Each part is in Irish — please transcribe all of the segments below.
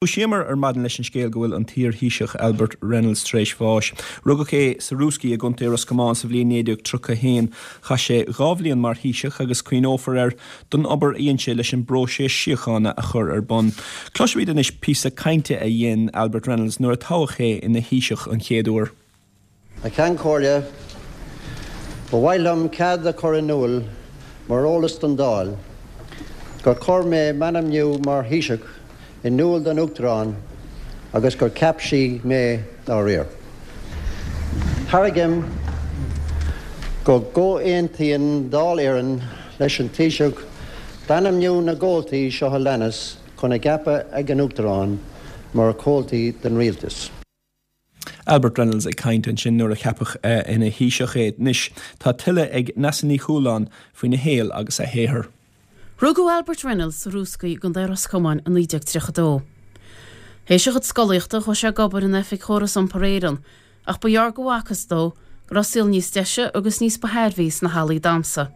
Dhúisíomar ar maidin leis an scéal go bhfuil an t-iar-Thaoiseach Albert Reynolds tar éis bháis. Rugadh é sa Rúscaí i gContae Ros Comáin sa bhliain 1931. Chaith sé 2 bhliain mar Thaoiseach agus cuimhneofar air don obair a dhein sé leis an bpróiseas síochána a chur ar bun. Cloisfimid anois píosa cainte a dhein Albert Reynolds nuair a toghadh é ina Thaoiseach an chéad uair. A Cheann Comhairle, ba mhaith liom cead a chur in iúl mar eolas don Dáil gur chuir mé m'ainmniú mar Thaoiseach in iúl don Uachtarán agus gur cheap sí mé dá réir. Tairgim go gcomhaontaíonn Dáil Éireann leis an Taoiseach d'ainmniú na gcomhaltaí seo a leanas chun a gceapadh ag an Uachtarán mar chomhaltaí den Rialtas. Albert Reynolds ag caint ansin nuair a ceapadh ina Thaoiseach é. Anois tá tuilleadh ag Neasa Ní Chualáin faoina shaol agus a shaothar. Rugadh Albert Reynolds sa Rúscaí i gContae Ros Comáin i 1932. Théis a chuid scolaíochta chuaigh sé ag obair in oifig Chóras Iompair Éireann ach ba ghearr go bhfacthas dó go raibh saol níos deise agus níos ba thairbhí sna hallaí damhsa.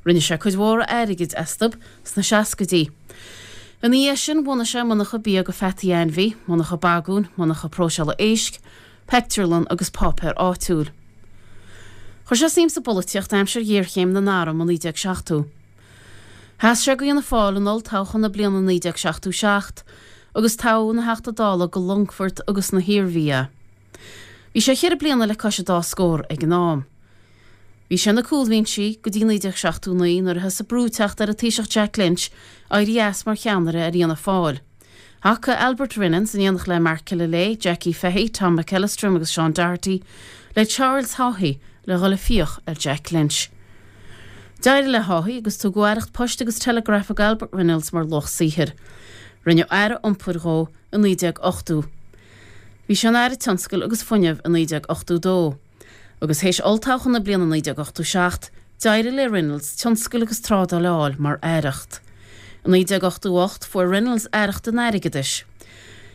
Rinne sé cuid mhór airgid astu sna seascaidí. Ina dhiaidh sin bhunaigh sé monarcha bia go pheataí ainmhí, monarcha bagúin, monarcha próiseála éisc, peictiúrlann agus páipéar áitiúil. Chuir sé suim sa bpolaitíocht aimsir ghéarchéim na n-arm i 1970. Sheas sé go Fhianna Fáil in olltoghchán na bliana 1977 agus toghadh ina Theachta Dála go Longfort agus na hIarmhí é. Bhí sé cheithre bliana le cois an dá scór ag an am. Bhí sé ar na cúlbhinsí go dtí 1979 nuair a thosaigh brú ag teacht ar an Taoiseach Jack Lynch éirí as mar cheannaire ar Fhianna Fáil. Thacaigh Albert Reynolds, in éineacht le Mark Killilea, Jackie Fahy, Tom McEllistrim agus Sean Doherty, le Charles Haughey le dhul ag fiach ar Jack Lynch. D'éirigh le Haughey agus tugadh aireacht poist agus telegrafa go Albert Reynolds mar luach saothair. Rinneadh Aire Iompair dhó i 1980. Bhí sé ina Aire Tionscail agus Fuinnimh i 1982. Agus théis olltoghchán na bliana 1987, d'éirigh le Reynolds tionscal agus trádáil a fháil mar aireacht. I 1988, fuair Reynolds aireacht an airgeadais.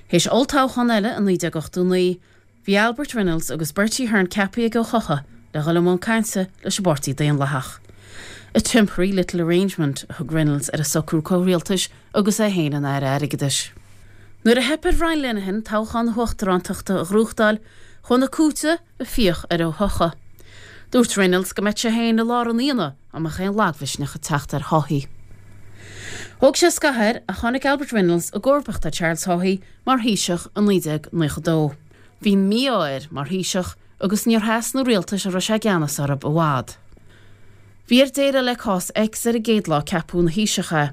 Théis olltoghchán eile i 1989, bhí Albert Reynolds agus Bertie Ahern ceaptha ag Ó Coca le dhul i mbun cainte leis an bPáirtí Daonlathach. A temporary little arrangement a thug Reynolds ar an socrú comhrialtais agus é féin ina Aire Airgeadais. Nuair a theip ar Bhrian Lenihan toghchán na huachtarántachta a ghnóthachtáil, chuaigh na cúirteanna ag fiach ar Ó hEochaidh. Dúirt Reynolds go mbeadh sé féin i lár an aonaigh dá mbeadh aon lagmhisneach ag teacht ar Haughey. Thóg sé scaitheamh air ach tháinig Albert Reynolds i gcomharbacht ar Charles Haughey mar Thaoiseach i 1992. Bhí an mí-ádh air mar Thaoiseach agus níor sheas na rialtais a raibh sé i gceannas orthu i bhfad. Bhí air déileáil le cás X ar an gcéad lá ceapadh ina Thaoiseach é.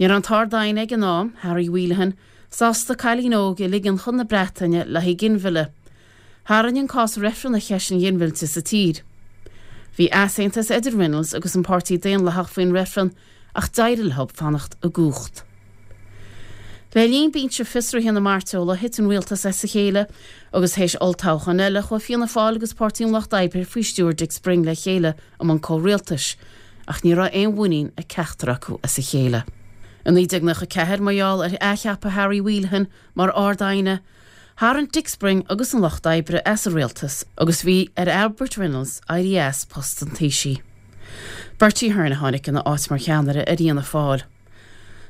Ní raibh an tArd-Aighne ag an am, Harry Whelehan, sásta cailín óg a ligean chun na Breataine le haghaidh ginmhilleadh. Tharraing an cás reifreann ar cheist an ghinmhillte sa tír. Bhí easaontas idir Reynolds agus an Páirtí Daonlathach faoin reifreann ach d'éirigh leo fanacht i gcumhacht. Le linn binse fiosraithe na mairteola thit an rialtas as a chéile agus théis olltoghchán eile chuaigh Fianna Fáil agus Páirtí an Lucht Oibre faoi stiúir Dick Spring le chéile i mbun comhrialtais ach ní raibh aon mhuinín ag ceachtar acu as a chéile. I 1994, mar gheall ar athcheapadh Harry Whelehan mar Ard-Aighne, tharraing Dick Spring agus an Lucht Oibre as an rialtas agus bhí ar Albert Reynolds éirí as post an Taoisigh. Bertie Ahern a tháinig ina áit mar cheannaire ar Fhianna Fáil.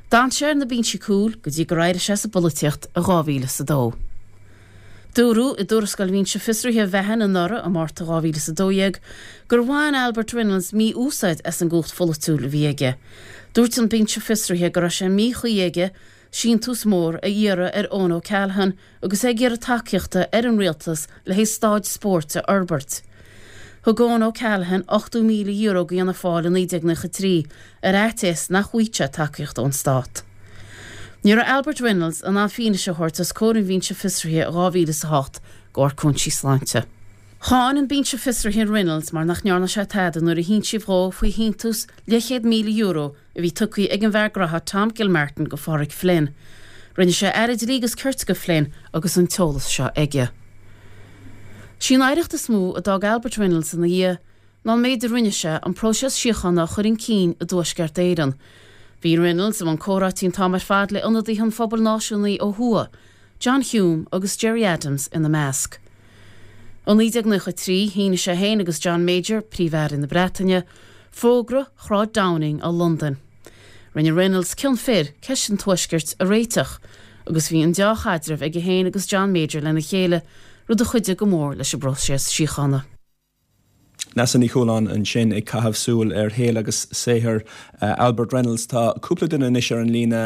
D'fhan sé ar na binsí cúil go dtí gur éirigh sé as an bpolaitíocht i 2002. Dúradh i dtuarascáil Bhinse Fiosraithe Mhahan anuraidh, i Márta 2012, gur bhain Albert Reynolds mí-úsáid as an gcumhacht pholaitiúil a bhí aige. Dúirt an Binse Fiosraithe go raibh sé míchuí aige síntiús mór a iarraidh ar Eoin O'Callaghan agus é ag iarraidh tacaíochta ar an rialtas le haghaidh staid spóirt a fhorbairt. Thug Eoin O'Callaghan €80,000 go Fhianna Fáil i 1993 ar fhaitíos nach bhfaigheadh sé tacaíocht ón stát. Ní raibh Albert Reynolds in ann fianaise a thabhairt os comhair an Bhinse Fiosraithe i 2008 de bharr cúinsí sláinte. Cháin an Binse Fiosraithe Reynolds mar nach ndearna sé tada nuair a hinsíodh dhó faoi shíntiús leathchéad €1,000 a bhí tugtha ag an bhfear graithe Tom Gilmartin go Phádraig Flynn. Rinne sé Aire Dlí agus Cirt de Flynn agus an t-eolas seo aige. Sí an oidhreacht is mó a d'fhág Albert Reynolds ina dhiaidh ná an méid a rinne sé an próiseas síochána a chur chun cinn i dTuaisceart Éireann. Bhí Reynolds i mbun comhráití an t-am ar fad le ionadaithe an phobail náisiúnaigh ó thuaidh, John Hume agus Gerry Adams ina measc. I 1993, shínigh sé féin agus John Major, Príomh-Aire na Breataine, Fógra Shráid Downing i Londain. Rinne Reynolds cion fir ceist an Tuaiscirt a réiteach. Agus bhí an deá-chaidreamh aige féin agus John Major lena chéile, rud a chuidigh go mór leis an bpróiseas síochána. Neasa Ní Chualáin ansin ag caitheamh súil ar shaol agus saothar Albert Reynolds. Tá cúpla duine anois ar an líne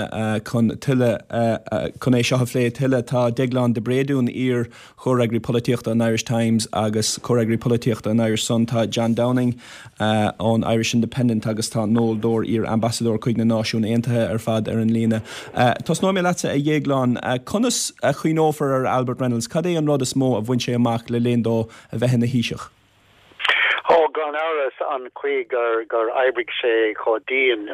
chun tuilleadh chun é seo a phlé tuilleadh. Tá Deaglán de Bréadún, iar Chomhfhreagraí Polaitíochta an Irish Times agus Comhfhreagraí Polaitíochta an Irish Sun, tá John Downing ón Irish Independent agus tá Noel Dorr, iar-ambasadóir chuig na Náisiúin Aontaithe, ar fad ar an líne. Tosnóidh mé leatsa, a Dhéagláin. Conas a chuimhneofar ar Albert Reynolds? Cad é an rud is mó a bhain sé amach le linn dó a bheith ina Thaoiseach? Ó, gan amhras, an chaoi gur oibrigh sé chomh dian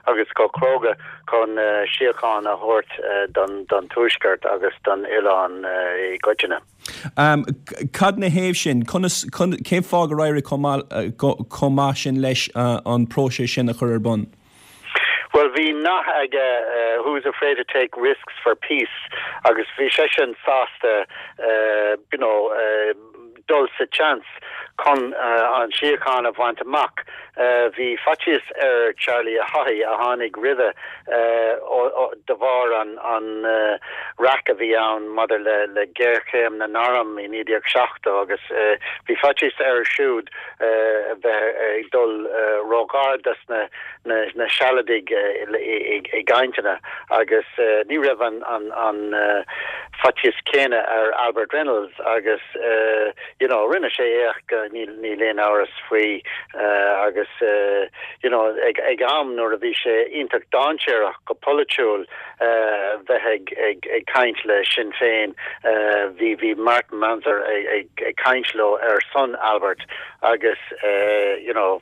agus chomh cróga chun síocháin a thabhairt don Tuaisceart agus don oileán i gcoitinne. Cad 'na thaobh sin? Conas, cén fáth gur éirigh chomh maith sin leis an próiseas sin a chur ar bun? Bhuel, bhí nath aige, who's afraid to take risks for peace, agus bhí seisean sásta, you know, dul sa tseans chun an síocháin a bhaint amach. Bhí faitíos ar Charlie Haughey, a tháinig roimhe, de bharr an raic a bhí ann maidir le géarchéim na n-arm i 1970 agus bhí faitíos air siúd a bheith ag dul róghar dos na Sealadaigh i gcainteanna agus ní raibh an faitíos céanna ar Albert Reynolds agus you know rinne sé éacht, níl aon amhras faoi agus you know ag am nuair a bhí sé iontach dainséarach go polaitiúil bheith ag caint le Sinn Féin. Bhí bhí Martin Mansergh ag caint leo ar son Albert agus you know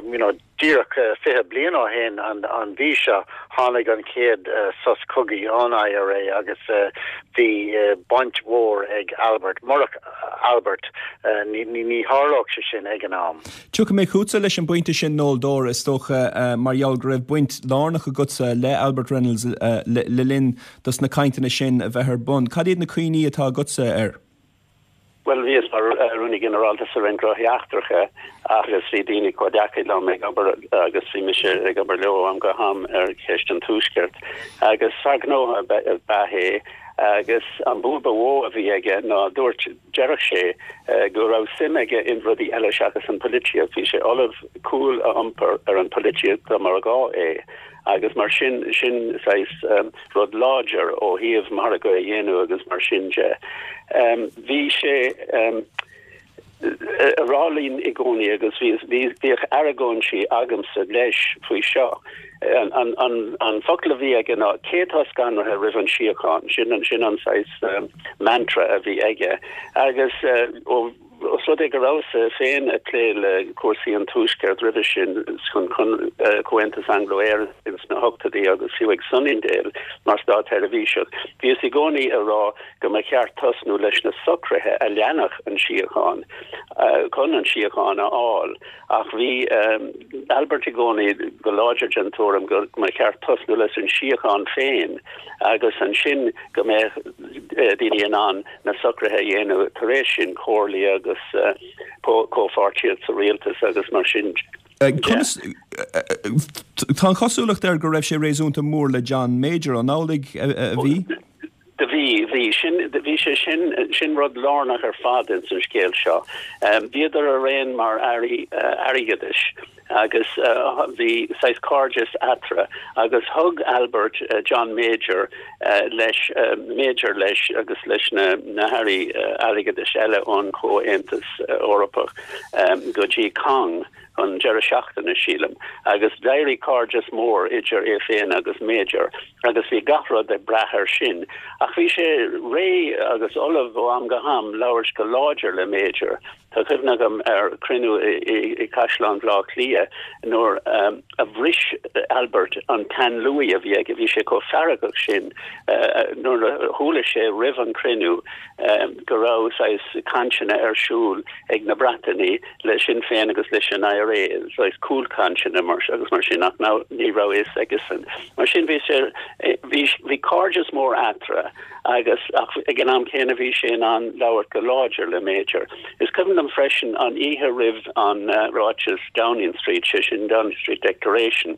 you know díreach 20 bliain ó shin an mhí seo tháinig an chéad sos cogaidh ón IRA agus bhí baint mhór ag Albert. Murach Albert ní tharlódh sé sin ag an am. Tiocfaidh mé chugatsa leis an bpointe sin, Noel Dorr, is dócha, mar gheall go raibh baint lárnach agatsa le Albert Reynolds le linn dos na cainteanna sin a bheith ar bun. Cad iad na cuimhní atá agatsa air? Bhuel, bhíos mar Rúnaí Ginearálta sa Roinn Gnóthaí Eachtracha agus bhí daoine comhghleacaithe liom ag obair agus bhí mise ag obair leo ó am go ham ar cheist an Tuaiscirt. Agus fear gnó ab ea é agus an bua ba mhó a bhí aige ná dúirt, Deireadh sé go raibh suim aige in rudaí eile seachas an pholaitíocht. Bhí sé ullamh cúl a iompar ar an pholaitíocht dá mba ghá é agus mar sin, sin saghas rud láidir ó thaobh margadh a dhéanamh agus mar sin de. Bhí sé ag rá linn i gcónaí agus bhíodh argóintí agamsa leis faoi seo. An focal a bhí aige ná cé atá scanraithe roimh an síocháin? Sin sin an saghas mantra a bhí aige. Agus ó os rud é go rabhas-sa féin ag plé le cúrsaí an Tuaiscirt roimhe sin chun Comhaontas Anglo-Éireann sna hochtóidí agus fiú ag Sunningdale mar státsheirbhíseach, bhíos i gcónaí ag rá go mba cheart tosnú leis na socruithe a leanfadh an síocháin chun an síocháin a fháil. Ach bhí Albert i gcónaí go láidir den tuairim go mba cheart tosnú leis an síocháin féin agus ansin go mbeadh daoine in ann na socruithe a dhéanamh tar éis sin, comhairlí agus comhpháirtíocht sa rialtas agus mar sin de. Conas, tá an chosúlacht air go raibh sé réasúnta mór le John Major, an amhlaidh a bhí? Do bhí, bhí. Sin, bhí sé sin, sin rud lárnach ar fad ins an scéal seo. Bhíodar araon mar airí airgeadais agus bhí saghas cairdeas eatarthu agus thug Albert John Major leis, Major leis agus leis na, na hairí airgeadais eile ón Chomhaontas Eorpach go dtí Cong chun deireadh seachtaine, sílim, agus d'éirigh cairdeas mór idir é féin agus Major agus bhí gach rud ag brath air sin. Ach bhí sé réidh agus ullamh ó am go ham labhairt go láidir le Major. Tá cuimhne agam ar chruinniú i gCaisleán Bhaile Átha Cliath nuair a bhris Albert an plean luaidhe a bhí aige, bhí sé chomh feargach sin nuair a chuala sé roimh an chruinniú go raibh saghas cainteanna ar siúl ag na Breatanaigh le Sinn Féin agus leis an IRA, saghas cúlchainteanna mar agus mar sin ach ná ní raibh fhios aigesan. Mar sin bhí sé bhí bhí cairdeas mór eatarthu agus ach ag an am céanna bhí sé in ann labhairt go láidir le Major. Is cuimhin liom freisin an oíche roimh an ráiteas Downing Street, sé sin Downing Street Declaration.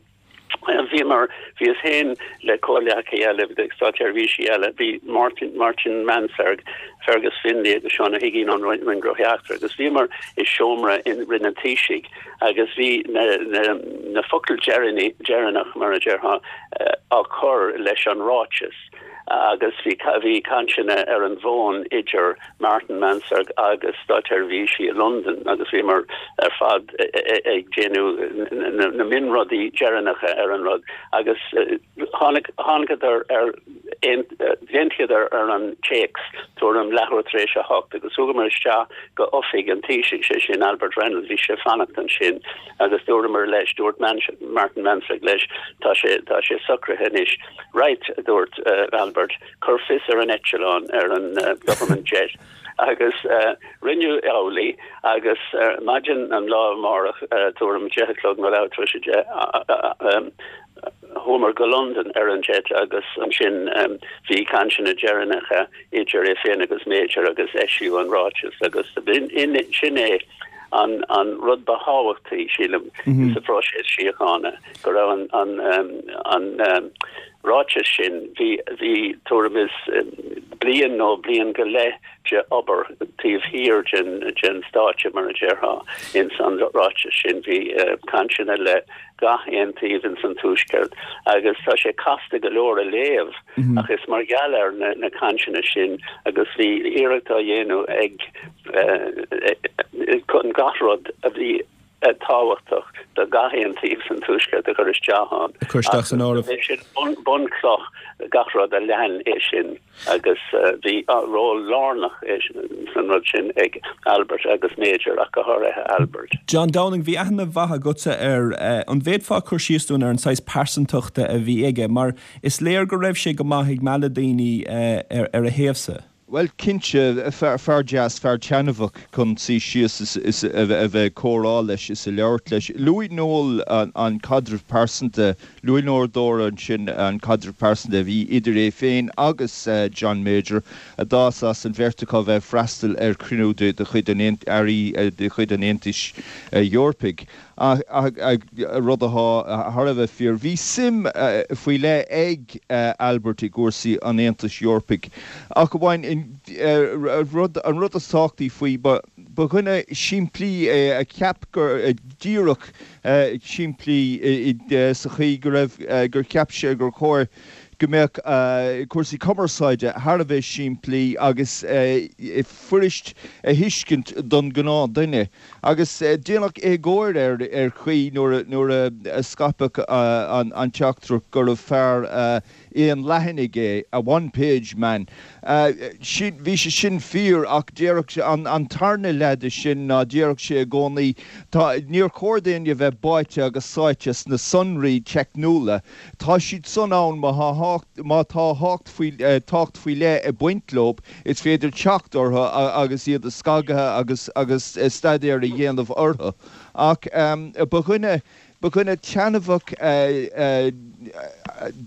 Bhíomar, bhíos féin le comhghleacaithe eile, státseirbhísigh eile, bhí Martin, Martin Mansergh, Fergus Finlay agus Seán Ó hUiginn ón Roinn Gnóthaí Eachtracha agus bhíomar i seomra in Roinn an Taoisigh agus bhí na, na, na focail deireanach, mar a déarfá, á cur leis an ráiteas agus bhí, bhí cainteanna ar an bhfón idir Martin Mansergh agus státseirbhísigh i Londain agus bhíomar ar fad ag déanamh na mionrudaí deireanacha ar an rud agus tháinig thángadar ar d'aontaíodar ar an téacs tuairim leathuair tar éis a hocht agus chuamar isteach go oifig an Taoisigh, sé sin Albert Reynolds, bhí sé ag fanacht ansin agus dúramar leis, dúirt Martin Mansergh leis, tá sé tá sé socraithe anois. Right, a dúirt Albert. Cuir fios ar an eitleán, ar an government jet, agus rinneadh amhlaidh agus maidin an lá amárach, tuairim a deich a chlog nó leathuair tar éis a deich, chuamar go Londain ar an jet agus ansin bhí cainteanna deireanacha idir é féin agus Major agus eisíodh an ráiteas agus sin é an an rud ba thábhachtaí, sílim, sa phróiseas síochána, go raibh an an ráiteas sin, bhí, bhí tuairim is bliain nó bliain go leith de obair taobh thiar den, den stáitse, mar a déarfá, ins an ráiteas sin. Bhí cainteanna le gach aon taobh ins an Tuaisceart agus tá sé casta go leor a léamh ach is mar gheall ar na, na cainteanna sin agus bhí iarracht á dhéanamh ag, chun gach rud a bhí tábhachtach do gach aon taobh san Tuaisceart a chur isteach ann. A chur isteach san áireamh. Bhí sin bunchloch gach rud a lean é sin agus bhí ról lárnach san rud sin ag Albert agus Major ach go háirithe Albert. John Downing, bhí aithne mhaith agatsa air. An bhféadfá cur síos dúinn ar an saghas pearsantachta a bhí aige mar is léir go raibh sé go maith ag mealladh daoine ar a thaobhsa. Bhuel, cinnte, fear deas, fear taitneamhach chun suí síos is a bheith ag comhrá leis is a labhairt leis. Luaigh Noel an caidreamh pearsanta, luaigh Noel Dorr ansin an caidreamh pearsanta a bhí idir é féin agus John Major, a d'fhás as an bheirt acu a bheith ag freastal ar chruinniú de chuid an Airí de chuid an Aontais Eorpaigh. Rud atá thar a bheith fíor. Bhí suim faoi leith ag Albert i gcúrsaí an Aontais Eorpaigh. Ach amháin, an rud is tábhachtaí faoi, ba dhuine simplí é a cheap gur díreach simplí sa chaoi go raibh, gur cheap sé gur chóir go mbeadh cúrsaí cumarsáide thar a bheith simplí agus fuirist a thuiscint don ghnáthduine. Agus déanadh éagóir air ar chaoi nuair a scaipeadh an teachtaireacht gurbh fear aon leathanaigh é, a one page man. Bhí sé sin fíor ach déarfadh sé, an tarna leath de sin ná déarfadh sé i gcónaí, tá, níor chóir d'éinne bheith báite agus sáite sna sonraí teicniúla, tá siad san ann má tá tábhacht faoi leith ag baint leo. Is féidir teacht orthu agus iad a scagadh agus agus staidéar a dhéanamh orthu. Ach ba dhuine, ba dhuine taitneamhach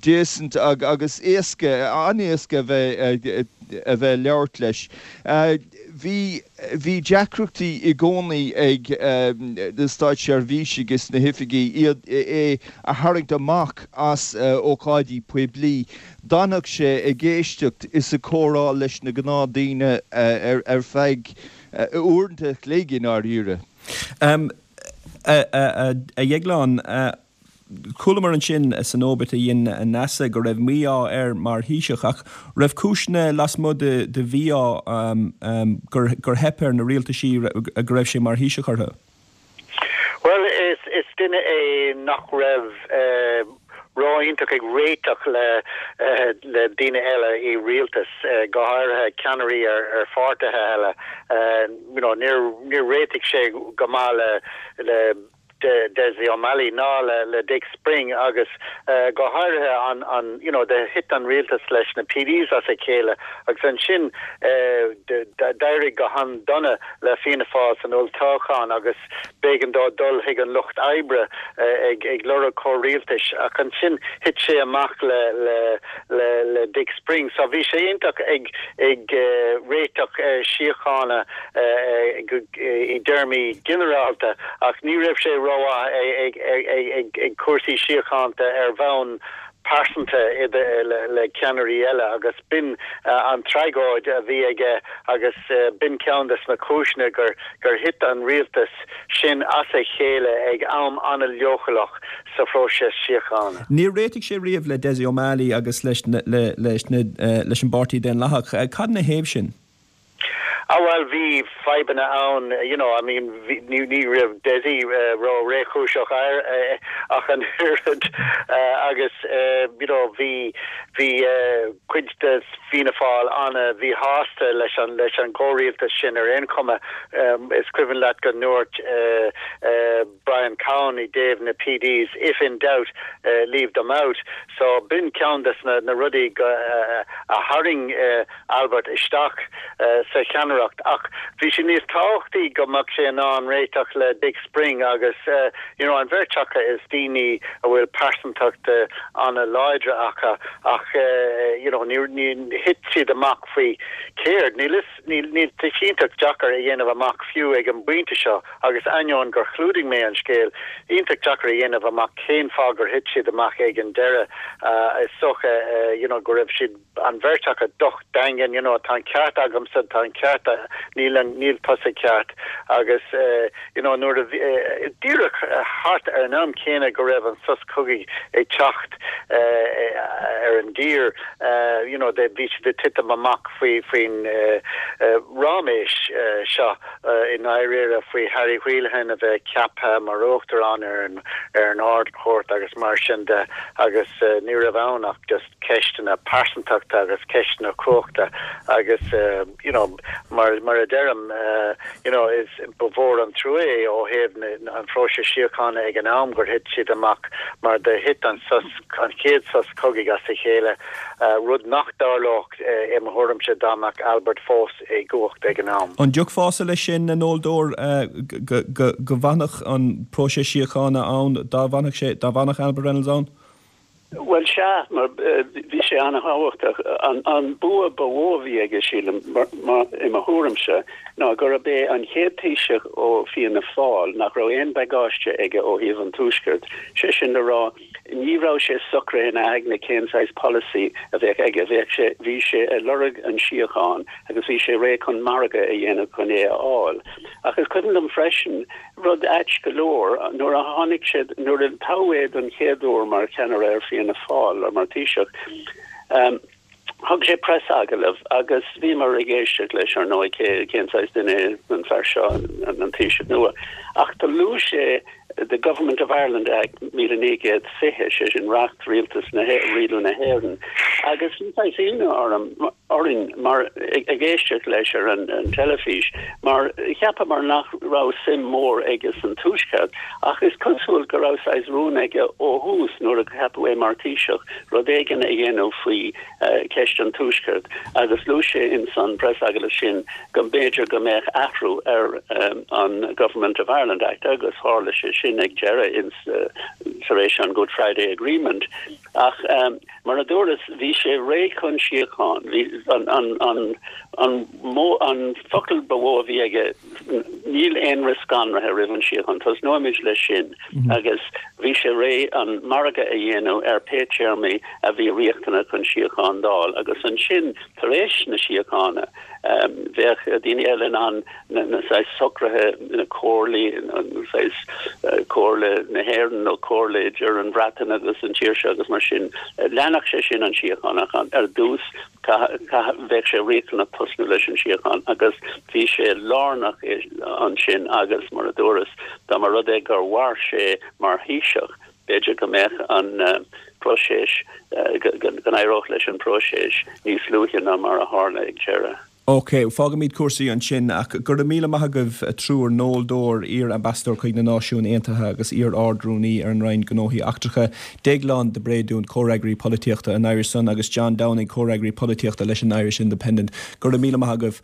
decent agus éasca, an-éasca a bheith a bheith ag labhairt leis. Bhí, bhí deacrachtaí i gcónaí ag na státseirbhísigh is na hoifigigh iad, é a tharraingt amach as ócáidí poiblí. D'fhanfadh sé ag éisteacht is ag comhrá leis na gnáthdaoine ar feadh uaireanta a chloig i ndáiríre. A Dhéagláin, chualamar ansin san obit a dhein Neasa go raibh mí-ádh air mar Thaoiseach, ach raibh cúiseanna lasmuigh de mhí-ádh gur theip ar na rialtaisí go raibh sé mar Thaoiseach orthu? Bhuel, is duine é nach raibh ró-iontach ag réiteach le le daoine eile i rialtas, go háirithe ceannairí ar pháirtithe eile. You know, níor níor réitigh sé go maith le le Dessie O'Malley ná le le Dick Spring agus go háirithe an an you know, de thit an rialtas leis na TDs as a chéile agus ansin d'éirigh go han-dona le Fianna Fáil san olltoghchán agus b'éigean dó dul chuig an Lucht Oibre ag lorg comhrialtais ach ansin thit sé amach le le le le Dick Spring. So bhí sé iontach ag ag réiteach síochána i dtéarmaí ginearálta ach ní raibh sé ró. rómhaith ag cúrsaí síochánta ar bhonn pearsanta le ceannairí eile agus b'in an tragóid a bhí aige agus b'in ceann de na cúiseanna gur gur thit an rialtas sin as a chéile ag am an-leochaileach sa phróiseas síochána. Níor réitigh sé riamh le Dessie O'Malley agus leis leis an bPáirtí Daonlathach. Cad ina thaobh sin? Ah bhuel bhí fadhbanna ann you know I mean bhí ní ní raibh Dessie ró réchúiseach air ach an oiread agus you know bhí bhí cuid de Fianna Fáil an-mhíshásta leis an leis an gcomhrialtas sin ar aon chuma. Is cuimhin leat go ndúirt Brian Cowen i dtaobh na PDs if in doubt leave them out. So b'in ceann des na rudaí a tharraing Albert isteach sa cheannaireacht. Ach bhí sé níos tábhachtaí go mbeadh sé in ann réiteach le Dick Spring agus you know an bheirt acu is daoine a bhfuil pearsantacht an-láidre acu ach you know ní thit siad amach faoi céard. Níl fhios Níl, níl, tá sé iontach deacair a dhéanamh amach fiú ag an bpointe seo agus ainneoin gur chlúdaigh mé an scéal, iontach deacair a dhéanamh amach cén fáth gur thit siad amach ag an deireadh. Is dócha you know go raibh siad, an bheirt acu docht daingean, you know tá an ceart agamsa, tá an ceart, níl an, níl tusa ceart agus you know nuair a bhí, díreach thart ar an am céanna go raibh an sos cogaidh ag teacht ar an dtír, you know bhí siad ag titim amach faoi, faoin ráiméis seo i ndáiríre, faoi Harry Whelehan a bheith ceaptha mar uachtarán ar an, ar an Ard-Chúirt agus mar sin de agus ní raibh ann ach just ceisteanna pearsantachta agus ceisteanna cumhachta agus you know mar, mar a deirim you know is, ba mhór an trua é ó thaobh na, an phróisis síochána ag an am gur thit siad amach mar do thit an sos, an chéad sos cogaidh as a chéile, rud nach dtarlódh i mo thuairimse dá mbeadh Albert fós i gcumhacht ag an am. An dtiocfása leis sin, a Noel Dore, go bhfanfadh an próiseas síochána ann dá bhfanfadh sé, dá bhfanfadh Albert Reynolds ann? Bhuel, sea, mar bhí sé an-thábhachtach. An bua ba mhó a bhí aige, sílim, i mo thuairimse, ná gurb é an chéad Taoiseach ó Fianna Fáil nach raibh aon bagáiste aige ó thaobh an Tuaiscirt, sé sin le rá, ní raibh sé socraithe ina aigne cén saghas polasaí a bheadh aige. Bheadh sé, bhí sé ag lorg an síocháin agus bhí sé réidh chun margadh a dhéanamh chun é a fháil. Ach is cuimhin liom freisin rud ait go leor, nuair a tháinig sé, nuair a toghadh é don chéad uair mar cheannaire ar Fianna Fáil, mar Thaoiseach, Thug sé preasagallamh agus bhíomar ag éisteacht leis, ar ndóigh, cé, cén saghas duine é an fear seo, an Taoiseach nua. Ach do luaigh sé The Government of Ireland Act 1920, sé sin Reacht Rialtas na, Rialú na hÉireann, agus bhí saghas ionadh orm, orainn, mar, ag éisteacht leis ar an teilifís, mar cheapamar nach raibh suim mhór aige san Tuaisceart, ach is cosúil go raibh saghas rún aige ó thús, nuair a ceapadh é mar Thaoiseach, rud éigin a dhéanamh faoi cheist an Tuaiscirt agus luaigh sé ins an preasagallamh sin go mb'fhéidir go mbeadh athrú ar an Government of Ireland Act agus tharla sé sin ag deireadh ins tar éis an Good Friday Agreement. Ach mar a dúras, bhí sé réidh chun síocháin. Bhí an an an an mó an focal ba mhó a bhí aige Níl aon rith scanraithe roimh an síocháin, tosnóimid leis sin agus bhí sé réidh an margadh a dhéanamh ar pé téarmaí a bhí riachtanach chun síocháin d'fháil agus ansin tar éis na síochána bheadh daoine eile in ann na saghas socruithe, na comhairlí, saghas Comhairle na hÉireann nó comhairle idir an Bhreatain agus an tír seo agus mar sin. Leanfadh sé sin an síocháin ach ar dtús Bheadh sé riachtanach tosnú leis an síocháin agus bhí sé lárnach ansin agus, mar a dúras, dá mba rud é gur mhair sé mar Thaoiseach, b'fhéidir go mbeadh an próiseas, go n-éireodh leis an bpróiseas níos luaithe ná mar a tharla ag deireadh. OK, fágfaimid cúrsaí ansin ach go raibh míle maith agaibh a triúr, Noel Dore, iar-Ambasadóir chuig na Náisiúin Aontaithe agus iar-Ard-Rúnaí ar an Roinn Gnóthaí Eachtracha, Déaglán de Bréadún, Comhfhreagraí Polaitíochta an Irish Sun agus John Downing, Comhfhreagraí Polaitíochta leis an Irish Independent. Go raibh míle maith agaibh.